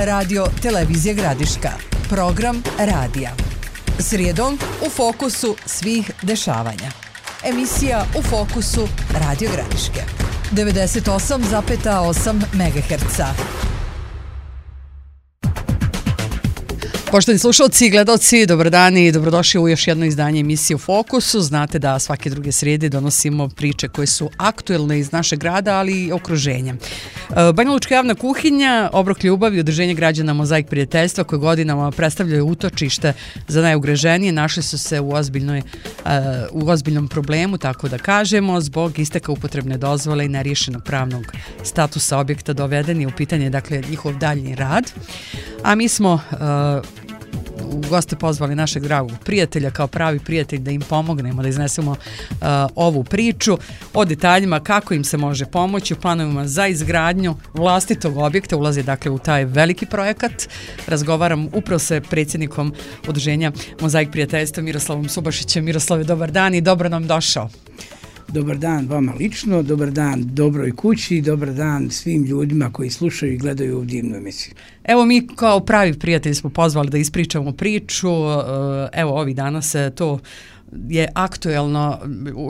Radio Televizija Gradiška. Program radija. Srijedom u fokusu svih dešavanja. Emisija u fokusu Radio Gradiške. 98,8 MHz. Poštovani slušalci i gledalci, dobar dan i dobrodošli u još jedno izdanje emisije u Fokusu. Znate da svake druge srijede donosimo priče koje su aktuelne iz našeg grada, ali i okruženja. Banja Lučka javna kuhinja, Obrok ljubavi, Udruženje građana Mozaik prijateljstva koje godinama predstavljaju utočište za najugroženije, našli su se u ozbiljnom problemu, tako da kažemo, zbog isteka upotrebne dozvole i neriješenog pravnog statusa objekta dovedeni u pitanje, dakle, njihov daljnji rad. A mi smo u goste pozvali našeg dragog prijatelja kao pravi prijatelj da im pomognemo, da iznesemo ovu priču o detaljima kako im se može pomoći u planovima za izgradnju vlastitog objekta. Ulazi dakle u taj veliki projekat. Razgovaram upravo sa predsjednikom Udruženja Mozaik prijateljstva Miroslavom Subašićem. Miroslave, dobar dan i dobro nam došao. Dobar dan vama lično, dobar dan dobroj kući, dobar dan svim ljudima koji slušaju i gledaju ovu divnu emisiju. Evo mi kao pravi prijatelji smo pozvali da ispričamo priču. Evo ovih dana se to je aktuelno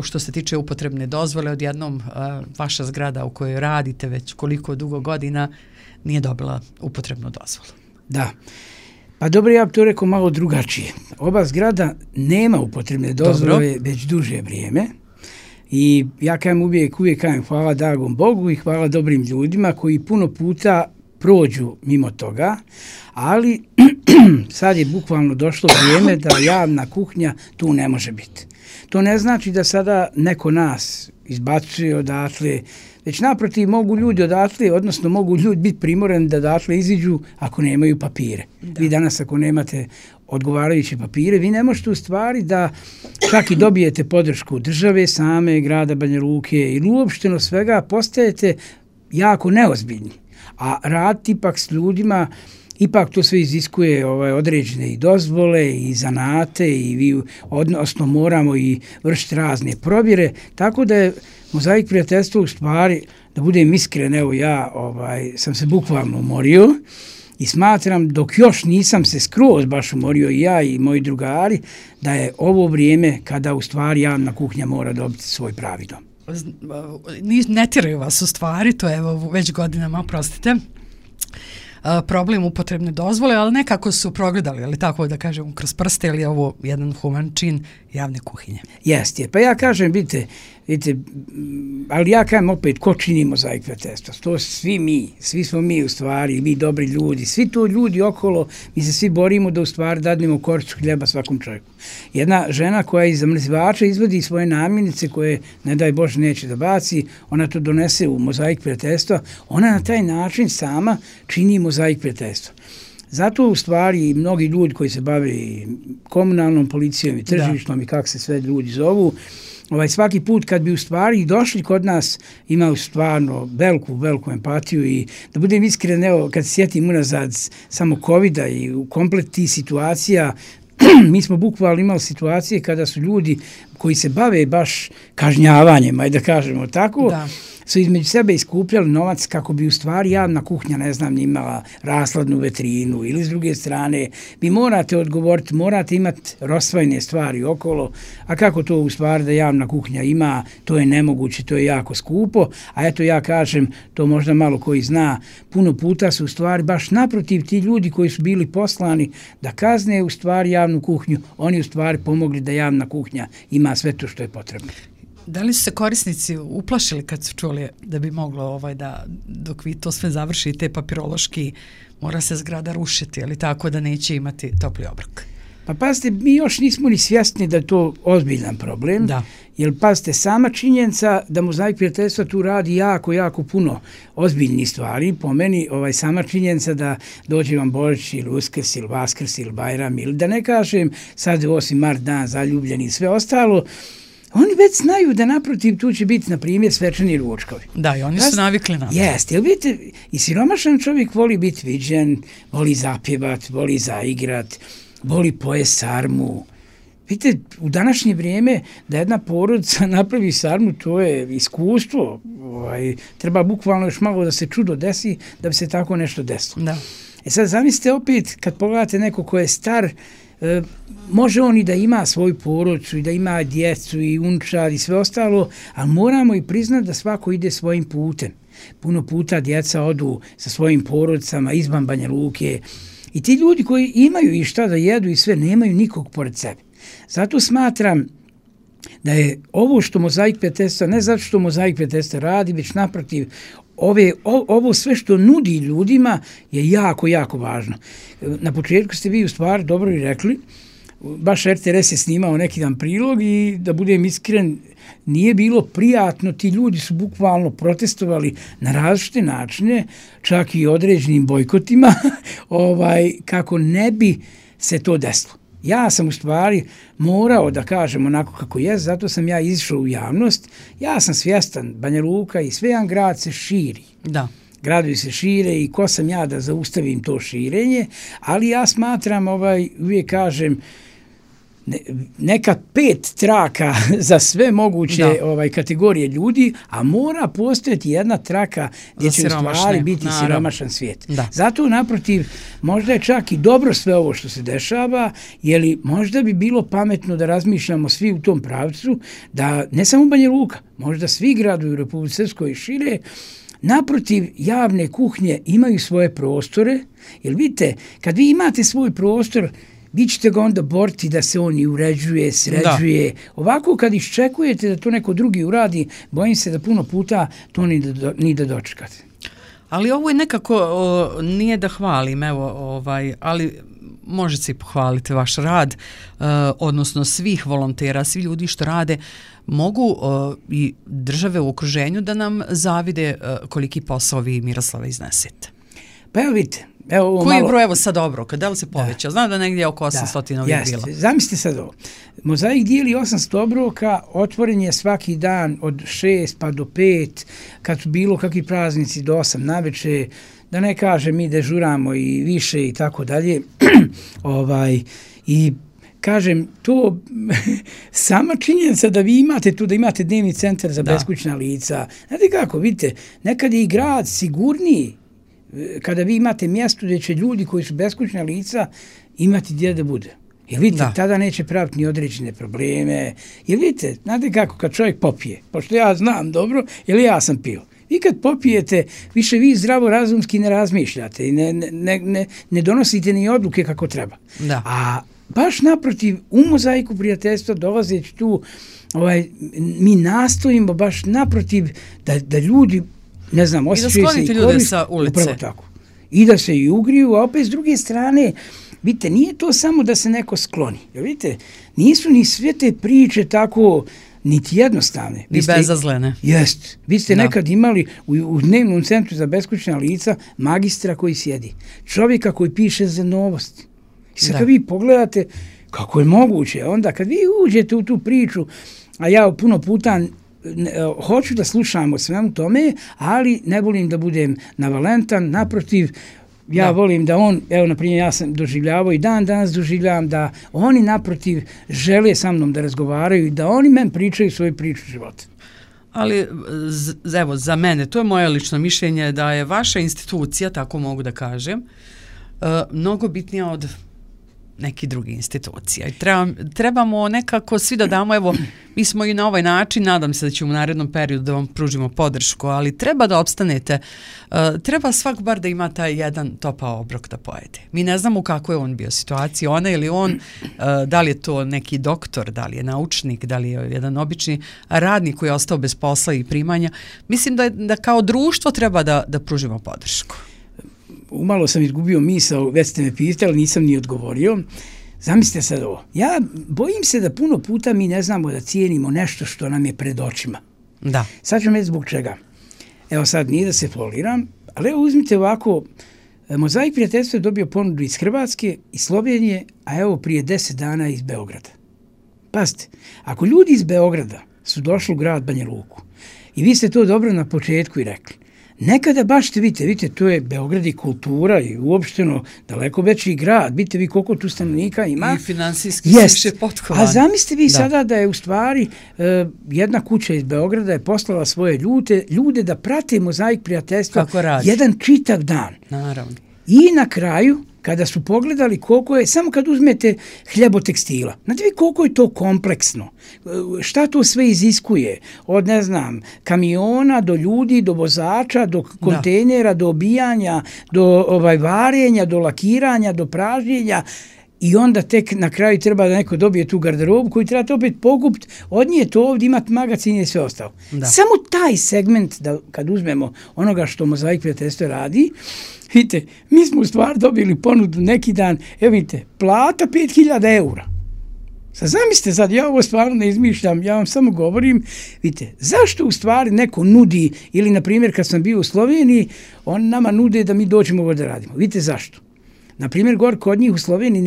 što se tiče upotrebne dozvole. Odjednom vaša zgrada u kojoj radite već koliko dugo godina nije dobila upotrebnu dozvolu. Da. Pa dobro, ja bih to rekao malo drugačije. Ova zgrada nema upotrebne dozvole već duže vrijeme. I ja kažem uvijek kažem hvala dragom Bogu i hvala dobrim ljudima koji puno puta prođu mimo toga, ali sad je bukvalno došlo vrijeme da javna kuhinja tu ne može biti. To ne znači da sada neko nas izbacuje odatle, već naprotiv mogu ljudi odatle, odnosno mogu ljudi biti primorani da odatle iziđu ako nemaju papire. Da. Vi danas ako nemate odgovarajuće papire, vi ne možete u stvari da čak i dobijete podršku države same, grada Banja Luke ili uopšteno svega postajete jako neozbiljni. A raditi ipak s ljudima, ipak to sve iziskuje određene i dozvole i zanate i vi odnosno moramo i vršiti razne provjere, tako da je Mozaik prijateljstvo u stvari, da budem iskren, evo ja sam se bukvalno umorio i smatram dok još nisam se skroz baš umorio i ja i moji drugari, da je ovo vrijeme kada u stvari javna kuhinja mora dobiti svoj pravi dom. Ne tiraju vas u stvari, to je evo već godinama, oprostite, problem upotrebne dozvole, ali nekako su progledali, ali tako da kažem, kroz prste, ili je ovo jedan human čin javne kuhinje. Jeste, pa ja kažem, vidite, ali ja kažem opet, ko čini Mozaik prijateljstva? To svi smo mi u stvari, mi dobri ljudi, svi to ljudi okolo, mi se svi borimo da u stvari dadnemo koricu hljeba svakom čovjeku. Jedna žena koja iz zamrzivača izvodi svoje namirnice koje, ne daj Bože, neće da baci, ona to donese u Mozaik prijateljstva, ona na taj način sama čini Mozaik prijateljstva. Zato u stvari mnogi ljudi koji se bave komunalnom policijom i tržišnom i kako se sve ljudi zovu, svaki put kad bi u stvari došli kod nas imali stvarno veliku empatiju i da budem iskren, evo kad se sjetim unazad samo covida i u komplet tih situacija, mi smo bukvalno imali situacije kada su ljudi koji se bave baš kažnjavanjem, ajde da kažemo tako, su između sebe iskupljali novac kako bi u stvari javna kuhinja, ne znam, imala rasladnu vetrinu ili s druge strane vi morate odgovoriti, morate imati rozvojene stvari okolo, a kako to u stvari da javna kuhinja ima, to je nemoguće, to je jako skupo, a eto ja kažem, to možda malo koji zna, puno puta su u stvari baš naprotiv ti ljudi koji su bili poslani da kazne u stvari javnu kuhinju, oni u stvari pomogli da javna kuhinja ima sve to što je potrebno. Da li su se korisnici uplašili kad su čuli da bi moglo da dok vi to sve završite papirološki mora se zgrada rušiti, ali tako da neće imati topli obrok? Pa pazite, mi još nismo ni svjesni da je to ozbiljan problem, jer pazite, sama činjenica da Mozaik prijateljstva tu radi jako puno ozbiljnih stvari, po meni sama činjenica da dođe vam Božić ili Uskrs ili Vaskrs ili Bajram ili da ne kažem sad 8. mart dan zaljubljeni i sve ostalo, oni već znaju da naprotiv tu će biti, na primjer, svečani ručkovi. Da, i oni su navikli na to. Jeste, jer vidite, i siromašan čovjek voli biti viđen, voli zapjevat, voli zaigrat, voli pojest sarmu. Vidite, u današnje vrijeme da jedna porodica napravi sarmu, to je iskustvo. Treba bukvalno još malo da se čudo desi da bi se tako nešto desilo. Da. sad zamislite opet, kad pogledate neko ko je star, može on i da ima svoju porodicu i da ima djecu i unčad i sve ostalo, ali moramo i priznati da svako ide svojim putem. Puno puta djeca odu sa svojim porodicama izvan Banja Luke i ti ljudi koji imaju i šta da jedu i sve, nemaju nikog pored sebe. Zato smatram da je ovo što Mozaik prijateljstva, ne zato što Mozaik prijateljstva radi, već naprotiv, ovo sve što nudi ljudima je jako, jako važno. Na početku ste vi u stvari dobro i rekli, baš RTS je snimao neki dan prilog i da budem iskren, nije bilo prijatno, ti ljudi su bukvalno protestovali na različite načine, čak i određenim bojkotima, kako ne bi se to desilo. Ja sam u stvari morao da kažem onako kako je, zato sam ja izišao u javnost. Ja sam svjestan, Banja Luka i sve jedan grad se širi. Da. Gradovi se šire i ko sam ja da zaustavim to širenje, ali ja smatram, uvijek kažem, neka 5 traka za sve moguće kategorije ljudi, a mora postojati jedna traka gdje će u stvari biti siromašan svijet. Da. Zato naprotiv, možda je čak i dobro sve ovo što se dešava, jer možda bi bilo pametno da razmišljamo svi u tom pravcu, da ne samo Banja Luka, možda svi gradovi u Republici Srpskoj šire, naprotiv, javne kuhnje imaju svoje prostore, jer vidite, kad vi imate svoj prostor, vi ćete ga onda boriti da se on i uređuje, sređuje. Da. Ovako kad iščekujete da to neko drugi uradi, bojim se da puno puta to ni da dočekate. Ali ovo je nekako, nije da hvalim, ali možete se pohvaliti vaš rad, odnosno svih volontera, svi ljudi što rade, mogu i države u okruženju da nam zavide koliki posao vi, Miroslava, iznesete. Pa evo vidite, koji je broj sad Obroka? Da li se poveća? Znam da negdje oko 800 ovih bilo. Zamislite sad ovo. Mozaik dijeli 800 obroka, otvoren je svaki dan od 6 pa do 5, kad su bilo kakvi praznici do 8 naveče, da ne kažem mi dežuramo i više i tako dalje. I kažem, to sama činjenica da vi imate tu, da imate dnevni centar za beskućna lica. Znate kako, vidite, nekad je i grad sigurniji kada vi imate mjesto gdje će ljudi koji su beskućna lica imati gdje da bude. Jer vidite, tada neće praviti ni određene probleme. Jer vidite, znate kako, kad čovjek popije, pošto ja znam dobro, jer ja sam pio. Vi kad popijete, više vi zdravo razumski ne razmišljate i ne donosite ni odluke kako treba. Da. A baš naprotiv, u Mozaiku prijateljstva dolazeći tu, mi nastojimo baš naprotiv da ljudi, ne znam, osjećaju se i korist, sa ulice. Upravo tako. I da se i ugriju, a opet s druge strane, vidite, nije to samo da se neko skloni. Jer vidite, nisu ni sve te priče tako niti jednostavne. I bezazlene. Jest. Vi ste nekad imali u dnevnom centru za beskućna lica magistra koji sjedi. Čovjeka koji piše za novosti. I sad kad vi pogledate kako je moguće, onda kad vi uđete u tu priču, a ja puno puta hoću da slušam o svemu tome, ali ne volim da budem navalentan, naprotiv, ja volim da on, evo na primjer ja sam doživljavao i dan danas doživljavam da oni naprotiv žele sa mnom da razgovaraju i da oni meni pričaju svoju priču života. Ali evo za mene, to je moje lično mišljenje da je vaša institucija, tako mogu da kažem, mnogo bitnija od nekih drugih institucija. I trebamo nekako svi da damo, evo, mi smo i na ovaj način, nadam se da ćemo u narednom periodu da vam pružimo podršku, ali treba da opstanete, treba svak bar da ima taj jedan topao obrok da pojede. Mi ne znamo u kakvoj je on bio situaciji, ona ili on, da li je to neki doktor, da li je naučnik, da li je jedan obični radnik koji je ostao bez posla i primanja. Mislim da kao društvo treba da pružimo podršku. Umalo sam izgubio misao, već ste me pitali, nisam ni odgovorio. Zamislite sad ovo. Ja bojim se da puno puta mi ne znamo da cijenimo nešto što nam je pred očima. Da. Sad ću reći zbog čega. Evo sad nije da se foliram, ali evo uzmite ovako, Mozaik prijateljstva je dobio ponudu iz Hrvatske, iz Slovenije, a evo prije 10 dana iz Beograda. Pazite, ako ljudi iz Beograda su došli u grad Banja Luku i vi ste to dobro na početku i rekli, nekada baš vidite, to je Beograd i kultura i uopšteno daleko veći grad. Vidite vi koliko tu stanovnika ima. I finansijski više potkovani. A zamislite vi sada da je u stvari jedna kuća iz Beograda je poslala svoje ljude da prate Mozaik prijateljstva jedan čitav dan. Naravno. I na kraju, kada su pogledali koliko je, samo kad uzmete hljebotekstila, znate vi koliko je to kompleksno, šta to sve iziskuje, od ne znam, kamiona do ljudi, do vozača, do kontejnera, do obijanja, do varenja, do lakiranja, do pražnjenja, i onda tek na kraju treba da neko dobije tu garderobu koju trebate opet pokupiti, od nje to ovdje imati magazin i sve ostalo. Samo taj segment, da kad uzmemo onoga što Mozaik prijateljstvo radi, vidite, mi smo u stvari dobili ponudu neki dan, evo vidite, plata 5.000 eura. Sad zamislite, sad ja ovo stvarno ne izmišljam, ja vam samo govorim, vidite, zašto u stvari neko nudi, ili na primjer kad sam bio u Sloveniji, oni nama nude da mi dođemo ovdje da radimo. Vidite zašto? Na primjer, gore kod njih u Sloveniji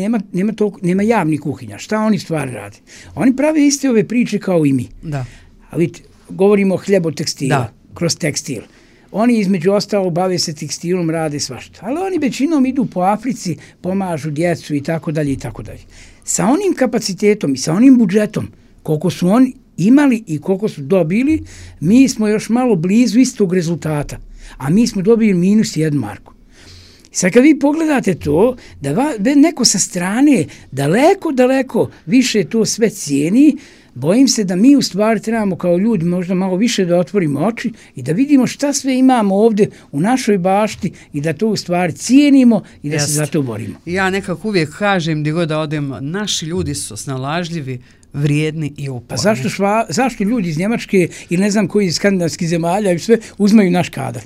nema javnih kuhinja. Šta oni stvari rade? Oni prave iste ove priče kao i mi. Da. A vidite, govorimo o hljebotekstila, kroz tekstil. Oni između ostalo bave se tekstilom, rade svašta. Ali oni većinom idu po Africi, pomažu djecu i tako dalje i tako dalje. Sa onim kapacitetom i sa onim budžetom, koliko su oni imali i koliko su dobili, mi smo još malo blizu istog rezultata. A mi smo dobili minus 1 marku. Sad kad vi pogledate to, da neko sa strane daleko više to sve cijeni, bojim se da mi u stvari trebamo kao ljudi možda malo više da otvorimo oči i da vidimo šta sve imamo ovdje u našoj bašti i da to u stvari cijenimo i da se za to borimo. Ja nekako uvijek kažem gdje god da odem, naši ljudi su snalažljivi, vrijedni i uporni. A zašto ljudi iz Njemačke ili ne znam koji iz skandinavskih zemalja i sve uzmaju naš kadar?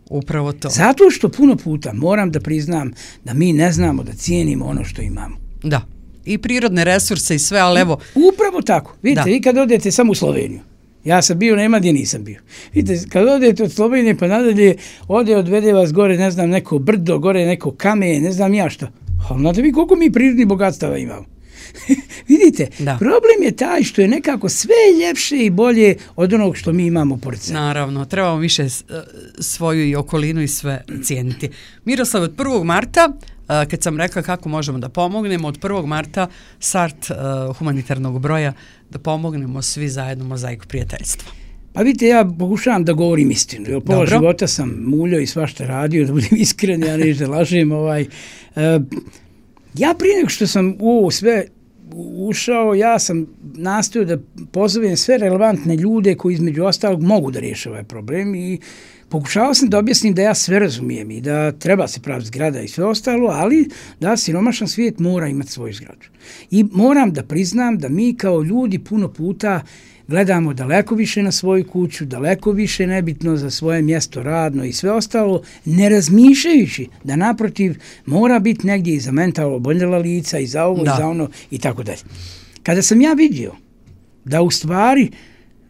Upravo to. Zato što puno puta moram da priznam da mi ne znamo da cijenimo ono što imamo. Da. I prirodne resurse i sve, ali evo... Upravo tako. Vidite, vi kad odete samo u Sloveniju, ja sam bio, nema gdje nisam bio. Vidite, kad odete od Slovenije pa nadalje, odvede vas gore, ne znam, neko brdo, gore neko kamen, ne znam ja šta. Ali znate vi koliko mi prirodnih bogatstava imamo? Vidite, problem je taj što je nekako sve ljepše i bolje od onog što mi imamo pored sebe. Naravno, trebamo više svoju i okolinu i sve cijeniti. Miroslav, od 1. marta, kad sam rekla kako možemo da pomognemo, od 1. marta start humanitarnog broja da pomognemo svi zajedno Mozaiku prijateljstva. Pa vidite, ja pokušavam da govorim istinu. Jer pola života sam muljao i svašta radio, da budem iskren, ja neću da lažem. Ja prije nego što sam u ovo sve ušao, ja sam nastojao da pozovem sve relevantne ljude koji između ostalog mogu da riješe ovaj problem i pokušao sam da objasnim da ja sve razumijem i da treba se praviti zgrada i sve ostalo, ali da siromašan svijet mora imati svoju zgradu. I moram da priznam da mi kao ljudi puno puta gledamo daleko više na svoju kuću, daleko više nebitno za svoje mjesto radno i sve ostalo, ne razmišljajući da naprotiv mora biti negdje i za mentalno oboljela lica i za ovo i za ono i tako dalje. Kada sam ja vidio da u stvari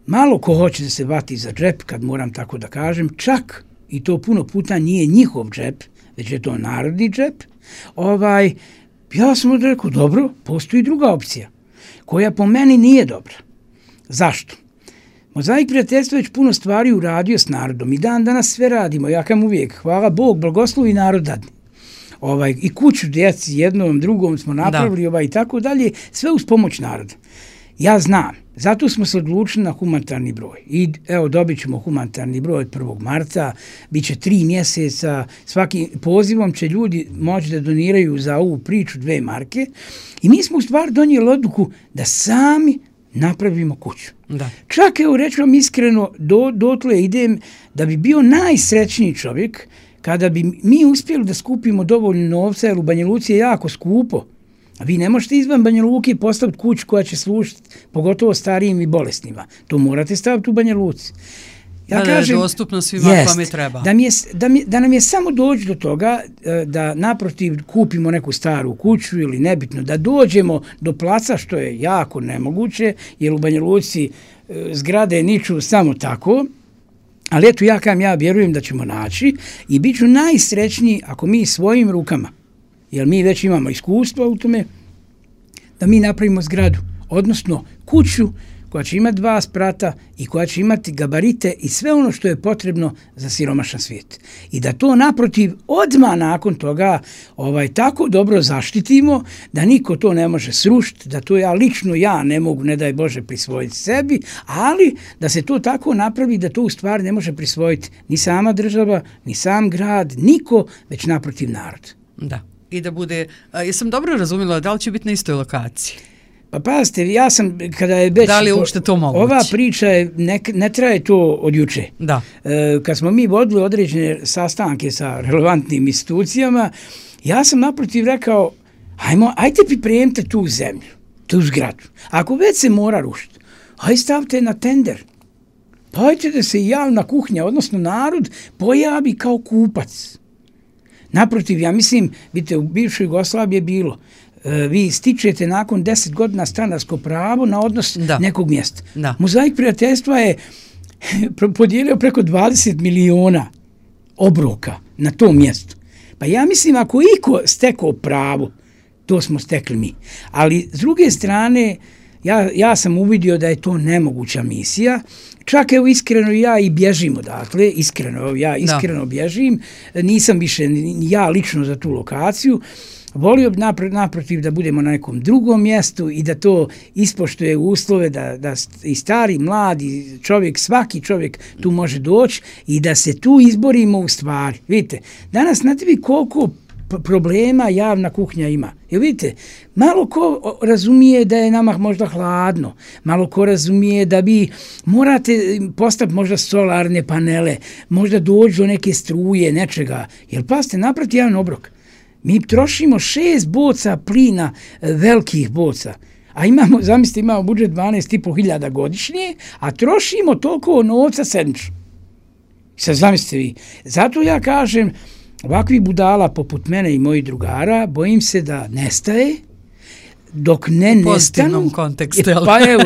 malo ko hoće da se vati za džep, kad moram tako da kažem, čak i to puno puta nije njihov džep, već je to narodni džep, ja sam rekao, dobro, postoji druga opcija, koja po meni nije dobra. Zašto? Mozaik prijateljstva već puno stvari uradio s narodom i danas sve radimo, ja kam uvijek, hvala Bog, blagoslovi narod dadne. I kuću djeci jednom, drugom smo napravili i tako dalje, sve uz pomoć naroda. Ja znam, zato smo se odlučili na humanitarni broj. I evo, dobit ćemo humanitarni broj od 1. marta, bit će 3 mjeseca, svaki pozivom će ljudi moći da doniraju za ovu priču 2 marke i mi smo u stvari donijeli odluku da sami napravimo kuću. Da. Čak, evo, reći vam iskreno, dotle idem da bi bio najsrećniji čovjek kada bi mi uspjeli da skupimo dovoljno novca, jer u Banja Luci je jako skupo. A vi ne možete izvan Banja Luke postaviti kuću koja će služiti pogotovo starijim i bolesnima. To morate staviti u Banja Luci. Ja kažem, dostupno svima kome treba. Da nam je samo doći do toga da naprotiv kupimo neku staru kuću ili nebitno, da dođemo do placa, što je jako nemoguće, jer u Banja Luci zgrade niču samo tako, ali eto ja vjerujem da ćemo naći i bit ću najsrećniji ako mi svojim rukama, jer mi već imamo iskustva u tome, da mi napravimo zgradu, odnosno kuću koja će imati 2 sprata i koja će imati gabarite i sve ono što je potrebno za siromašan svijet. I da to naprotiv odmah nakon toga tako dobro zaštitimo da niko to ne može srušiti, da to ja ne mogu, ne daj Bože, prisvojiti sebi, ali da se to tako napravi da to u stvari ne može prisvojiti ni sama država, ni sam grad, niko, već naprotiv narod. Da. I da bude, jesam dobro razumjela, da li će biti na istoj lokaciji? Pa pazite, ja sam, kada je već... Da li je uopšte to moguće? Ova priča ne traje to od juče. Da. Kad smo mi vodili određene sastanke sa relevantnim institucijama, ja sam naprotiv rekao, ajte pripremite tu zemlju, tu zgradu. Ako već se mora rušiti, ajde stavite na tender. Pa ajte da se javna kuhinja, odnosno narod, pojavi kao kupac. Naprotiv, ja mislim, vidite, u bivšoj Jugoslaviji je bilo, vi stičete nakon 10 godina stanarsko pravo na odnos nekog mjesta. Da. Mozaik prijateljstva je podijelio preko 20 miliona obroka na tom mjestu. Pa ja mislim, ako iko stekao pravo, to smo stekli mi. Ali s druge strane, ja sam uvidio da je to nemoguća misija. Čak evo iskreno ja i bježim odatle, iskreno bježim, nisam više ja lično za tu lokaciju. Volio bi naprotiv da budemo na nekom drugom mjestu i da to ispoštuje uslove, da i stari, mladi čovjek, svaki čovjek tu može doći i da se tu izborimo u stvari. Vidite, danas znate vi koliko problema javna kuhinja ima. Jer vidite, malo ko razumije da je nama možda hladno, malo ko razumije da vi morate postaviti možda solarne panele, možda doći do neke struje, nečega. Jer pazite, naproti jedan obrok. Mi trošimo 6 boca plina, velikih boca, a imamo budžet 12.500 godišnje, a trošimo toliko novca sedmično. Sad zamislite vi. Zato ja kažem, ovakvi budala poput mene i mojih drugara, bojim se da nestaje, dok ne nestanu... U pozitivnom kontekstu. Pa evo,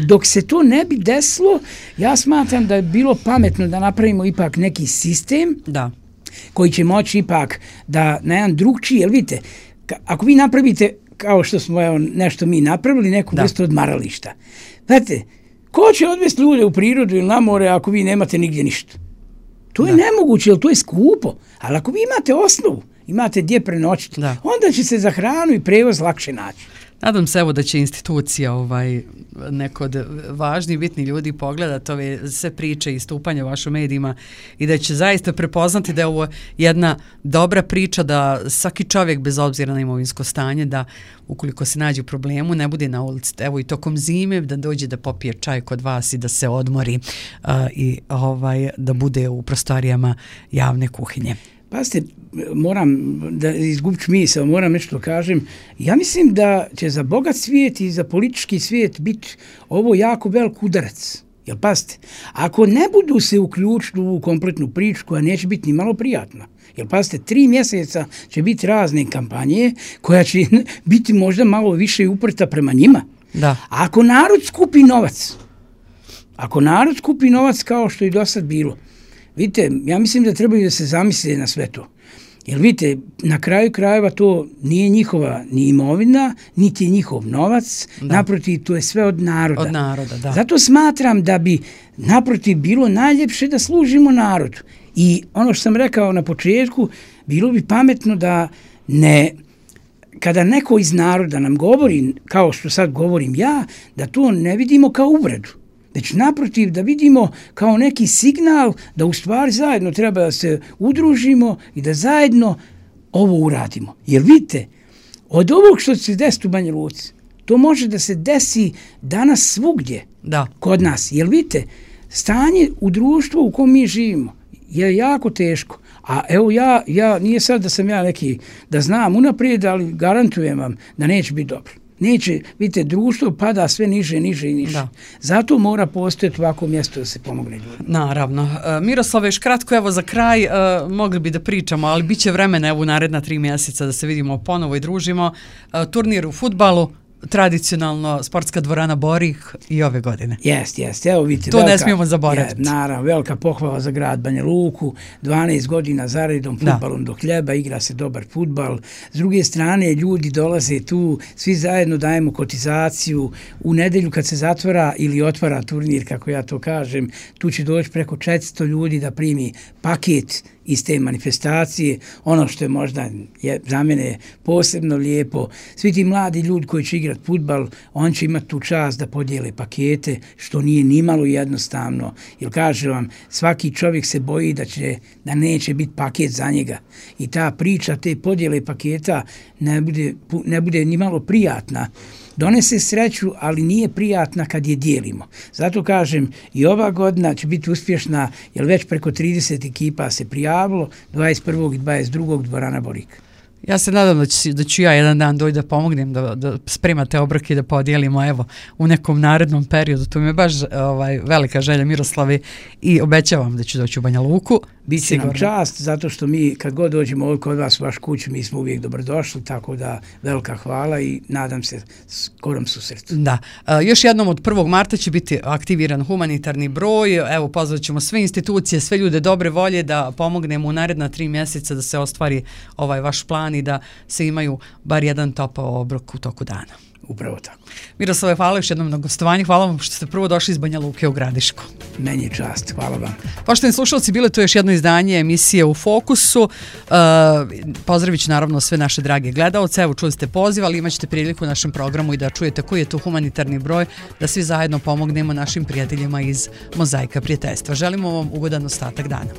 dok se to ne bi desilo, ja smatram da je bilo pametno da napravimo ipak neki sistem, koji će moći ipak da na jedan drugčiji, jer vidite, ako vi napravite, kao što smo nešto mi napravili, neku vrstu odmarališta. Znate, ko će odvesti ljude u prirodu ili na more ako vi nemate nigdje ništa? To je nemoguće, jer to je skupo. Ali ako vi imate osnovu, imate gdje prenoćiti, onda će se za hranu i prevoz lakše naći. Nadam se da će institucija neko od važnih bitnih ljudi pogledati ove sve priče i istupanja u vašim medijima i da će zaista prepoznati da je ovo jedna dobra priča, da svaki čovjek bez obzira na imovinsko stanje, da ukoliko se nađe u problemu ne bude na ulici, evo i tokom zime, da dođe da popije čaj kod vas i da se odmori i da bude u prostorijama javne kuhinje. Pazite, moram da izgubim misao, moram nešto kažem. Ja mislim da će za bogat svijet i za politički svijet biti ovo jako velik udarac. Jer pazite, ako ne budu se uključiti u kompletnu priču koja neće biti ni malo prijatna, jer pazite, 3 mjeseca će biti razne kampanje koja će biti možda malo više uprta prema njima. Da. Ako narod skupi novac kao što je do sad bilo, vidite, ja mislim da trebaju da se zamisle na sve to. Jer vidite, na kraju krajeva to nije njihova ni imovina, niti je njihov novac, naprotiv, to je sve od naroda. Od naroda, da. Zato smatram da bi naprotiv bilo najljepše da služimo narodu. I ono što sam rekao na početku, bilo bi pametno da kada neko iz naroda nam govori, kao što sad govorim ja, da to ne vidimo kao uvredu. Već naprotiv da vidimo kao neki signal da u stvari zajedno treba da se udružimo i da zajedno ovo uradimo. Jer vidite, od ovog što se desi u Banja Luci, to može da se desi danas svugdje kod nas. Jer vidite, stanje u društvu u kom mi živimo je jako teško. A evo ja nije sad da sam ja neki, da znam unaprijed, ali garantujem vam da neće biti dobro. Neće, vidite, društvo pada sve niže i niže. Zato mora postojati ovako mjesto da se pomogne ljudima. Naravno. Miroslave, još kratko, evo za kraj, mogli bi da pričamo, ali bit će vremena evo naredna 3 mjeseca da se vidimo ponovo i družimo. Turnir u fudbalu, tradicionalno sportska dvorana Borih i ove godine. Jeste. Evo vidite. To ne smijemo zaboraviti. Naravno, velika pohvala za grad Banja Luku, 12 godina zaredom fudbalom do hljeba, igra se dobar fudbal. S druge strane, ljudi dolaze tu, svi zajedno dajemo kotizaciju. U nedelju kad se zatvara ili otvara turnir, kako ja to kažem, tu će doći preko 400 ljudi da primi paket iz te manifestacije. Ono što je možda za mene posebno lijepo, svi ti mladi ljudi koji će igrati fudbal, on će imati tu čast da podijele pakete, što nije nimalo jednostavno, jer kažem vam, svaki čovjek se boji da neće biti paket za njega. I ta priča, te podijele paketa ne bude nimalo prijatna. Donese sreću, ali nije prijatna kad je dijelimo. Zato kažem, i ova godina će biti uspješna, jer već preko 30 ekipa se prijavilo, 21. i 22. dvorana Borik. Ja se nadam da ću ja jedan dan doći da pomognem, da spremate obroke i da podijelimo evo u nekom narednom periodu. To mi je baš velika želja, Miroslave, i obećavam da ću doći u Banja Luku. Biće nam čast, zato što mi kad god dođemo ovdje kod vas u vaš kuću, mi smo uvijek dobrodošli, tako da velika hvala i nadam se skorom susretu. Da. Još jednom od 1. marta će biti aktiviran humanitarni broj. Evo, pozvat ćemo sve institucije, sve ljude dobre volje da pomognemo u naredna 3 mjeseca da se ostvari ovaj vaš plan i da se imaju bar jedan topao obrok u toku dana. Upravo tako. Miroslave, hvala još jednom na gostovanju. Hvala vam što ste prvo došli iz Banja Luke u Gradišku. Meni je čast. Hvala vam. Poštovani slušalci, bilo je to još jedno izdanje emisije U fokusu. Pozdravit ću naravno sve naše drage gledalce. Evo, čuli ste poziv, ali imat ćete priliku u našem programu i da čujete koji je to humanitarni broj, da svi zajedno pomognemo našim prijateljima iz Mozaika prijateljstva. Želimo vam ugodan ostatak dana.